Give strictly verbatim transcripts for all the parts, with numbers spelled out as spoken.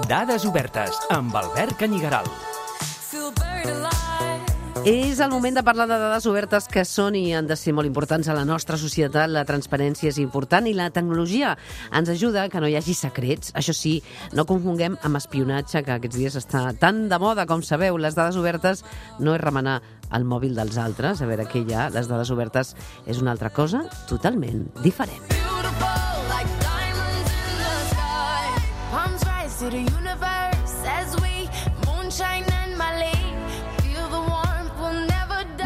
Dades obertes amb Albert Canyigaral. És el moment de parlar de dades obertes que són i han de ser molt importants a la nostra societat. La transparència és important i la tecnologia ens ajuda que no hi hagi secrets. Això sí, no confonguem amb espionatge, que aquests dies està tan de moda, com sabeu. Les dades obertes no és remenar el mòbil dels altres. A veure què hi ha. Les dades obertes és una altra cosa totalment diferent.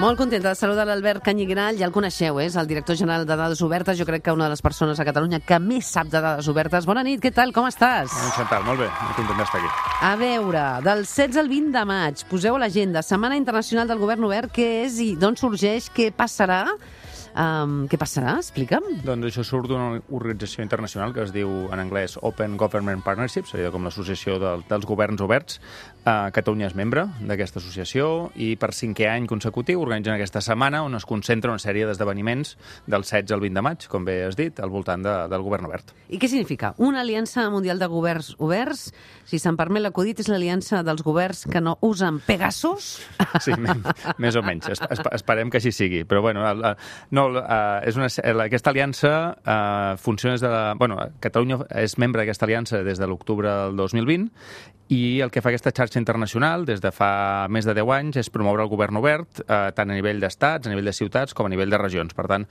Molt contenta de saludar l'Albert Canyigaral, ja el coneixeu, és el director general de Dades Obertes, jo crec que una de les persones a Catalunya que més sap de dades obertes. Bona nit, què tal, com estàs? Bon, Chantal, molt bé, molt content d'estar aquí. A veure, del setze al vint de maig, poseu a l'agenda, Setmana Internacional del Govern Obert, què és i d'on sorgeix, què passarà? Um, què passarà? Explica'm. Doncs això surt d'una organització internacional que es diu en anglès Open Government Partnership, seria com l'associació del, dels governs oberts. Uh, Catalunya és membre d'aquesta associació i per cinquè any consecutiu organitzen aquesta setmana on es concentra una sèrie d'esdeveniments del setze al vint de maig, com bé has dit, al voltant de, del govern obert. I què significa? Una aliança mundial de governs oberts? Si se'm permet l'acudit, és l'aliança dels governs que no usen Pegasus? Sí, més o menys. Es, es, esperem que així sigui. Però, bueno, el, el, no, uh, és una, aquesta aliança uh, funciona des de... La, bueno, Catalunya és membre d'aquesta aliança des de l'octubre del dos mil vint i el que fa aquesta xarxa internacional des de fa més de deu anys és promoure el govern obert, eh, tant a nivell d'estats, a nivell de ciutats, com a nivell de regions. Per tant,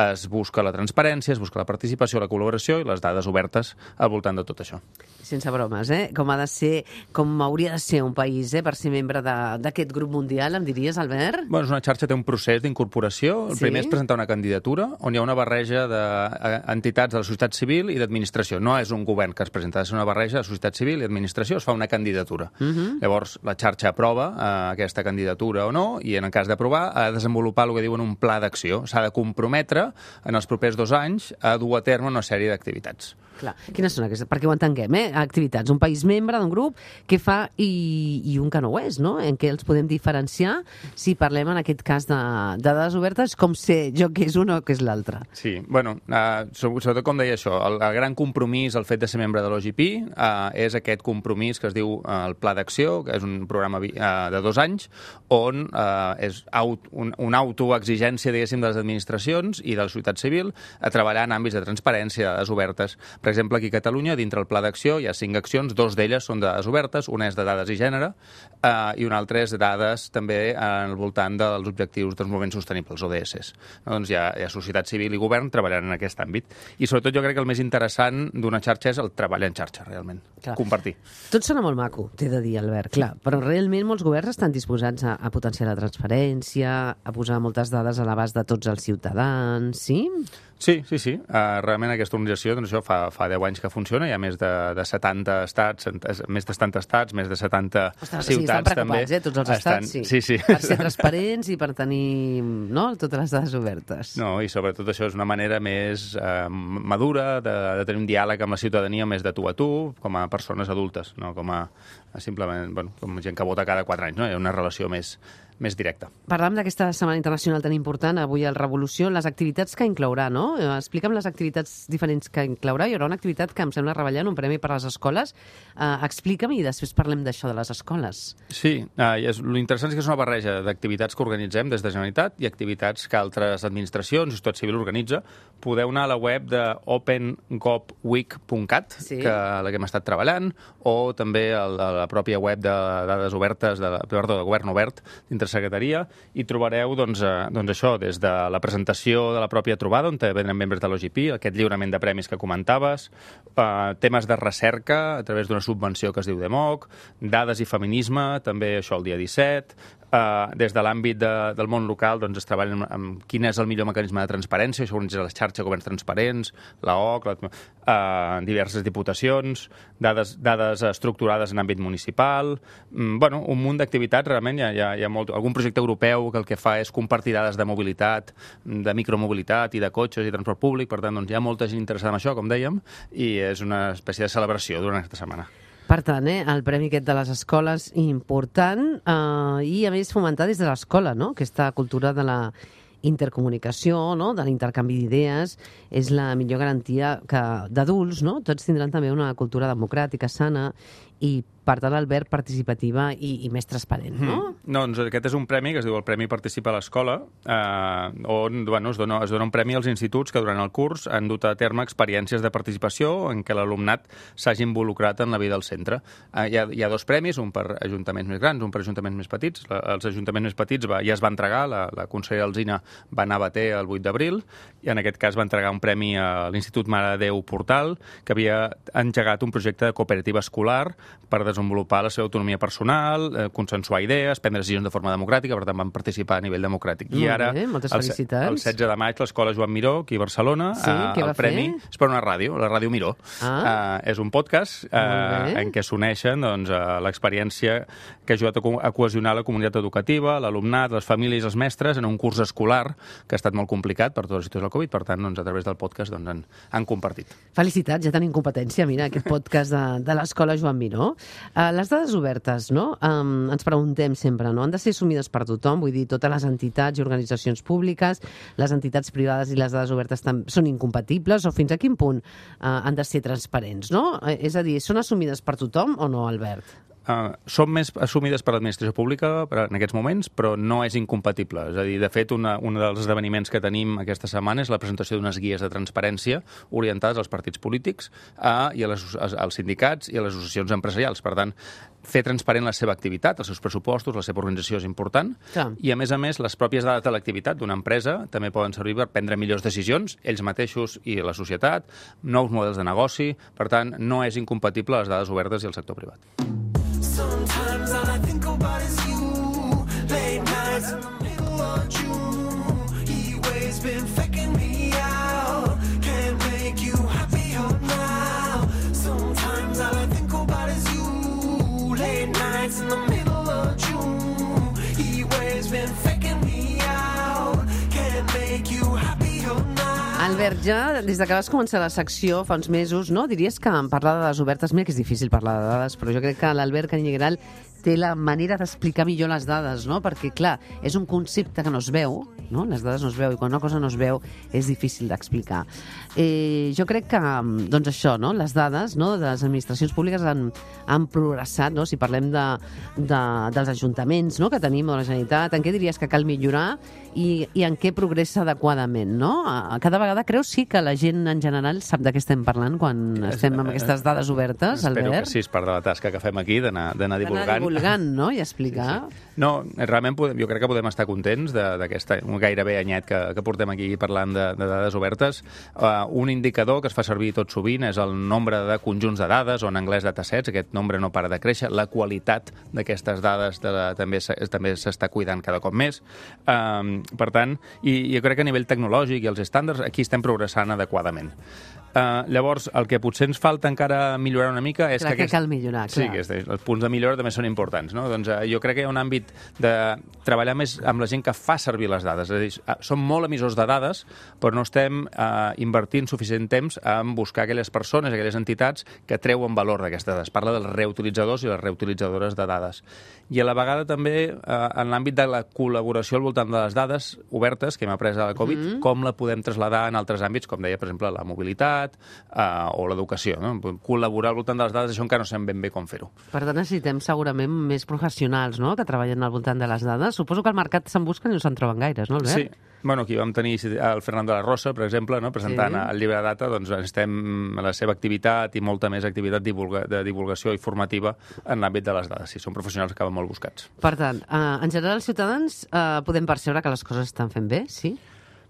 es busca la transparència, es busca la participació, la col·laboració i les dades obertes al voltant de tot això. Sense bromes, eh? Com ha de ser, com hauria de ser un país, eh? Per ser membre d'aquest grup mundial, em diries, Albert? Bueno, és una xarxa que té un procés d'incorporació. El sí? primer és presentar una candidatura on hi ha una barreja d'entitats de la societat civil i d'administració. No és un govern que es presenta, és una barreja de societat civil i administració, es fa una candidatura. Uh-huh. Llavors, la xarxa aprova eh, aquesta candidatura o no, i en el cas d'aprovar ha de desenvolupar el que diuen un pla d'acció. S'ha de comprometre en els propers dos anys a dur a terme una sèrie d'activitats. Clar. Quines són aquestes? Perquè ho entenguem, eh? Activitats. Un país membre d'un grup que fa i, i un que no ho és, no? En què els podem diferenciar si parlem en aquest cas de, de dades obertes, com sé jo que és un o que és l'altre. Sí, bueno, uh, sobretot com deia això, el, el gran compromís, el fet de ser membre de l'O G P, uh, és aquest compromís que es diu uh, el Pla d'Acció, que és un programa uh, de dos anys, on uh, és aut, un, una autoexigència, diguéssim, de les administracions i de la societat civil a treballar en àmbits de transparència, de dades obertes. Per exemple, aquí a Catalunya, dintre el Pla d'Acció, hi ha cinc accions, dos d'elles són de dades obertes, una és de dades i gènere, eh, i una altra és de dades també al voltant dels objectius de desenvolupament sostenible, els O D S. No, doncs hi ha, hi ha societat civil i govern treballant en aquest àmbit. I sobretot jo crec que el més interessant d'una xarxa és el treball en xarxa, realment. Clar. Compartir. Tot sona molt maco, t'he de dir, Albert, clar, però realment molts governs estan disposats a, a potenciar la transparència, a posar moltes dades a l'abast de tots els ciutadans, sí? Sí, sí, sí. Uh, realment aquesta organització, doncs això fa, fa deu anys que funciona, hi ha més de, de setanta estats, més de setanta estats, més de setanta Ostres, ciutats, sí, estan preocupats, també. Eh, tots els estats, estan, sí. sí, sí. Per ser transparents i per tenir, no?, totes les dades obertes. No, i sobretot això és una manera més eh, madura de, de tenir un diàleg amb la ciutadania més de tu a tu, com a persones adultes, no com a, a simplement, bueno, com gent que vota cada quatre anys, no? Hi ha una relació més, més directa. Parlàvem d'aquesta Setmana Internacional tan important, avui al Revolució, les activitats que inclourà, no? Explica'm les activitats diferents que inclourà. Hi haurà una activitat que em sembla rellevant, un premi per a les escoles. Uh, explica'm i després parlem d'això de les escoles. Sí, uh, és, l'interessant és que és una barreja d'activitats que organitzem des de Generalitat i activitats que altres administracions i societat civil organitza. Podeu anar a la web de open gov week punt cat, sí, que la que hem estat treballant, o també a la, a la pròpia web de dades obertes, de, perdó, de Govern Obert, dintre secretaria, i trobareu doncs, eh, doncs això, des de la presentació de la pròpia trobada, on venen membres de l'O G P, aquest lliurament de premis que comentaves, eh, temes de recerca a través d'una subvenció que es diu DEMOC, dades i feminisme, també això el dia disset, Uh, des de l'àmbit de, del món local doncs, es treballa amb, amb quin és el millor mecanisme de transparència, això organitza la xarxa Governs Transparents, la O C, la, uh, diverses diputacions, dades, dades estructurades en àmbit municipal, mm, bueno, un munt d'activitats, realment hi ha, hi ha, hi ha molt, algun projecte europeu que el que fa és compartir dades de mobilitat, de micromobilitat i de cotxes i transport públic, per tant doncs, hi ha molta gent interessada en això, com dèiem, i és una espècie de celebració durant aquesta setmana. Per tant, eh, el premi aquest de les escoles important eh, i, a més, fomentar des de l'escola, no?, aquesta cultura de la intercomunicació, no? De l'intercanvi d'idees, és la millor garantia que d'adults, no? Tots tindran també una cultura democràtica sana i, per tant, Albert, participativa i, i més transparent, no? Mm. No, doncs aquest és un premi que es diu el Premi Participa a l'Escola, eh, on bueno, es, dona, es dona un premi als instituts que durant el curs han dut a terme experiències de participació en què l'alumnat s'hagi involucrat en la vida del centre. Eh, hi, ha, hi ha dos premis, un per ajuntaments més grans, un per ajuntaments més petits. La, els ajuntaments més petits va, ja es va entregar, la, la consellera Alsina va anar a Bater el vuit d'abril, i en aquest cas va entregar un premi a l'Institut Mare de Déu Portal, que havia engegat un projecte de cooperativa escolar per desenvolupar la seva autonomia personal, eh, consensuar idees, prendre decisions de forma democràtica, per tant van participar a nivell democràtic. Molt I ara, bé, moltes el, felicitats. el setze de maig, l'Escola Joan Miró, aquí a Barcelona, sí, eh, el premi fer? és per una ràdio, la Ràdio Miró. Ah. Eh, és un podcast eh, en què s'uneixen doncs, eh, l'experiència que ha ajudat a, co a cohesionar la comunitat educativa, l'alumnat, les famílies i els mestres en un curs escolar que ha estat molt complicat per tota la situació del Covid. Per tant, doncs, a través del podcast doncs, han, han compartit. Felicitats, ja tenim competència, mira, aquest podcast de, de l'Escola Joan Miró. Uh, les dades obertes, no? Um, ens preguntem sempre, no? Han de ser assumides per tothom, vull dir, totes les entitats i organitzacions públiques, les entitats privades i les dades obertes són incompatibles, o fins a quin punt uh, han de ser transparents, no? Uh, és a dir, són assumides per tothom o no, Albert? Uh, són més assumides per l'administració pública en aquests moments, però no és incompatible. És a dir, de fet, una, un dels esdeveniments que tenim aquesta setmana és la presentació d'unes guies de transparència orientades als partits polítics uh, i a les, als sindicats i a les associacions empresarials. Per tant, fer transparent la seva activitat, els seus pressupostos, la seva organització és important. Clar. I, a més a més, les pròpies dades de l'activitat d'una empresa també poden servir per prendre millors decisions, ells mateixos i la societat, nous models de negoci. Per tant, no és incompatible les dades obertes i el sector privat. Sometimes all I think about is you. Late nights in the middle of June. He always been faking me out. Can't make you happier now. Sometimes all I think about is you. Late nights in the middle of June. He always been faking me out. Can't make you happier now. Albert, ja des que vas començar la secció fa uns mesos, no? Diries que en parlar de dades obertes, mira que és difícil parlar de dades, però jo crec que l'Albert Canyigaral té la manera d'explicar millor les dades, no? Perquè, clar, és un concepte que no es veu, no? Les dades no es veu, i quan una cosa no es veu és difícil d'explicar. Eh, jo crec que, doncs això, no? Les dades, no? De les administracions públiques han, han progressat, no? Si parlem de, de, dels ajuntaments, no? Que tenim, de la Generalitat, en què diries que cal millorar i, i en què progressa adequadament, no? Cada vegada creus sí que la gent en general sap de què estem parlant quan estem amb aquestes dades obertes, Espero Albert? que sí, és part de la tasca que fem aquí, d'anar divulgant. D'anar divulgant, no? I explicar. Sí, sí. No, realment podem, jo crec que podem estar contents d'aquesta gairebé anyet que, que portem aquí parlant de, de dades obertes. Uh, un indicador que es fa servir tot sovint és el nombre de conjunts de dades, o en anglès datasets, aquest nombre no para de créixer, la qualitat d'aquestes dades de la, també també s'està cuidant cada cop més. Um, per tant, i jo crec que a nivell tecnològic i els estàndards aquí estem progressant adequadament. Uh, llavors, el que potser ens falta encara millorar una mica és clar, que... Aquest... que cal millorar, clar. Sí, que és, els punts de millora també són importants, no? Doncs uh, jo crec que hi ha un àmbit de treballar més amb la gent que fa servir les dades. És a dir, uh, som molt emissors de dades, però no estem uh, invertint suficient temps en buscar aquelles persones, aquelles entitats que treuen valor d'aquestes dades. Parla dels reutilitzadors i les reutilitzadores de dades. I a la vegada també uh, en l'àmbit de la col·laboració al voltant de les dades obertes que hem après a la Covid, mm-hmm. com la podem traslladar en altres àmbits, com deia, per exemple, la mobilitat, Uh, o l'educació, no? Col·laborar al voltant de les dades, això encara no sabem ben bé com fer-ho. Per tant, necessitem segurament més professionals, no?, que treballen al voltant de les dades. Suposo que al mercat se'n busquen i no se'n troben gaires, no, Albert? Sí. Bueno, aquí vam tenir el Fernando de la Rosa, per exemple, no? Presentant sí. el llibre de data, doncs estem a la seva activitat i molta més activitat divulga de divulgació i formativa en l'àmbit de les dades. Sí, són professionals que acaben molt buscats. Per tant, uh, en general, els ciutadans uh, podem percebre que les coses estan fent bé, sí?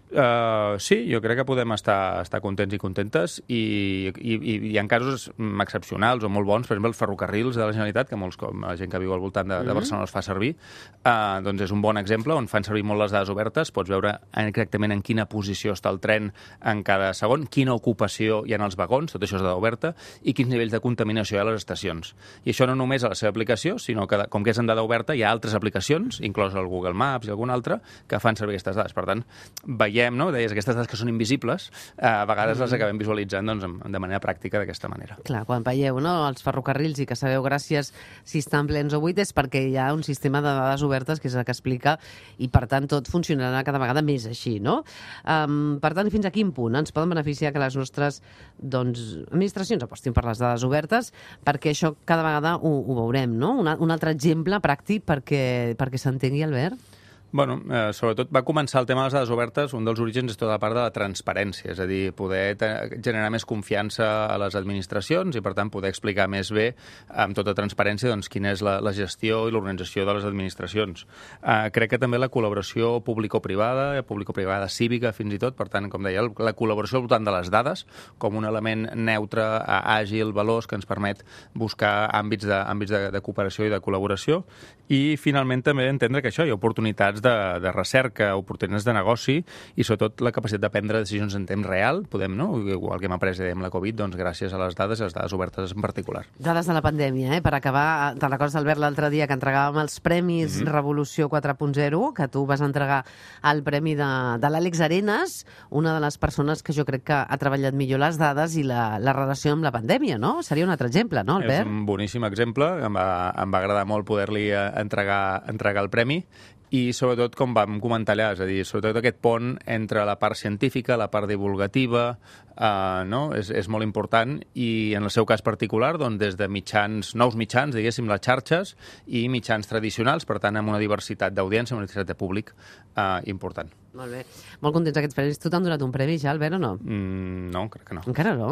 Uh, sí, jo crec que podem estar, estar contents i contentes i, i, i hi ha casos excepcionals o molt bons, per exemple, els ferrocarrils de la Generalitat, que molts, com la gent que viu al voltant de, de Barcelona els fa servir, uh, doncs és un bon exemple on fan servir molt les dades obertes, pots veure exactament en quina posició està el tren en cada segon, quina ocupació hi ha en els vagons, tot això és dada oberta, i quins nivells de contaminació hi ha a les estacions. I això no només a la seva aplicació, sinó que, com que és en dada oberta, hi ha altres aplicacions, inclòs el Google Maps i alguna altra, que fan servir aquestes dades. Per tant, veiem veiem, no? Deies, aquestes dades que són invisibles, eh, a vegades mm. les acabem visualitzant doncs, de manera pràctica d'aquesta manera. Clar, quan veieu no, els ferrocarrils i que sabeu gràcies si estan plens o buits és perquè hi ha un sistema de dades obertes que és el que explica i, per tant, tot funcionarà cada vegada més així, no? Um, per tant, fins a quin punt ens poden beneficiar que les nostres doncs, administracions apostin per les dades obertes, perquè això cada vegada ho, ho veurem, no? Un, un altre exemple pràctic perquè, perquè s'entengui, Albert? Bueno, eh, sobretot va començar el tema de les dades obertes, un dels orígens és tota la part de la transparència, és a dir, poder generar més confiança a les administracions i, per tant, poder explicar més bé, amb tota transparència, doncs, quina és la, la gestió i l'organització de les administracions. Eh, crec que també la col·laboració público-privada, público-privada cívica, fins i tot, per tant, com deia, la col·laboració al voltant de les dades, com un element neutre, àgil, veloç, que ens permet buscar àmbits de, àmbits de, de cooperació i de col·laboració. I, finalment, també entendre que això hi ha oportunitats de, de recerca, oportunitats de negoci i, sobretot, la capacitat de prendre decisions en temps real. Podem, no? Igual que hem après amb la Covid, doncs, gràcies a les dades i les dades obertes en particular. Dades de la pandèmia, eh? Per acabar, te'n recordes, Albert, l'altre dia que entregàvem els Premis mm-hmm. Revolució quatre punt zero, que tu vas entregar el premi de, de l'Àlex Arenas, una de les persones que jo crec que ha treballat millor les dades i la, la relació amb la pandèmia, no? Seria un altre exemple, no, Albert? És un boníssim exemple. Em va, em va agradar molt poder-li entregar, entregar el premi i, sobretot, com vam comentar allà, és a dir, sobretot aquest pont entre la part científica, la part divulgativa, eh, no? és, és molt important i, en el seu cas particular, doncs, des de mitjans, nous mitjans, diguéssim, les xarxes, i mitjans tradicionals, per tant, amb una diversitat d'audiència, una diversitat de públic eh, important. Molt bé. Molt contents aquests premis. Tu t'han donat un premi ja, Albert, o no? Mm, no, crec que no. Encara no?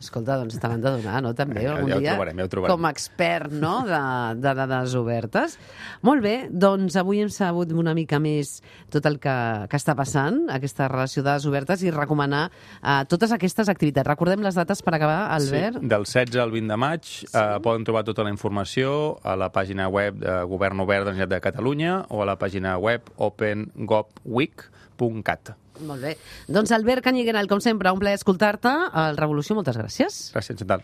Escolta, doncs te l'han de donar, no? També, ja, algun ja ho dia, trobarem, ja ho trobarem. com a expert, no?, de, de dades obertes. Molt bé, doncs avui hem sabut una mica més tot el que, que està passant, aquesta relació de dades obertes, i recomanar uh, totes aquestes activitats. Recordem les dates per acabar, Albert? Sí, del setze al vint de maig sí. eh, poden trobar tota la informació a la pàgina web de Govern Obert de la Generalitat de Catalunya o a la pàgina web open gov week punt cat. Molt bé. Doncs Albert Cañigueral, com sempre, un plaer escoltar-te. Al Revolució, moltes gràcies. Gràcies, Chantal.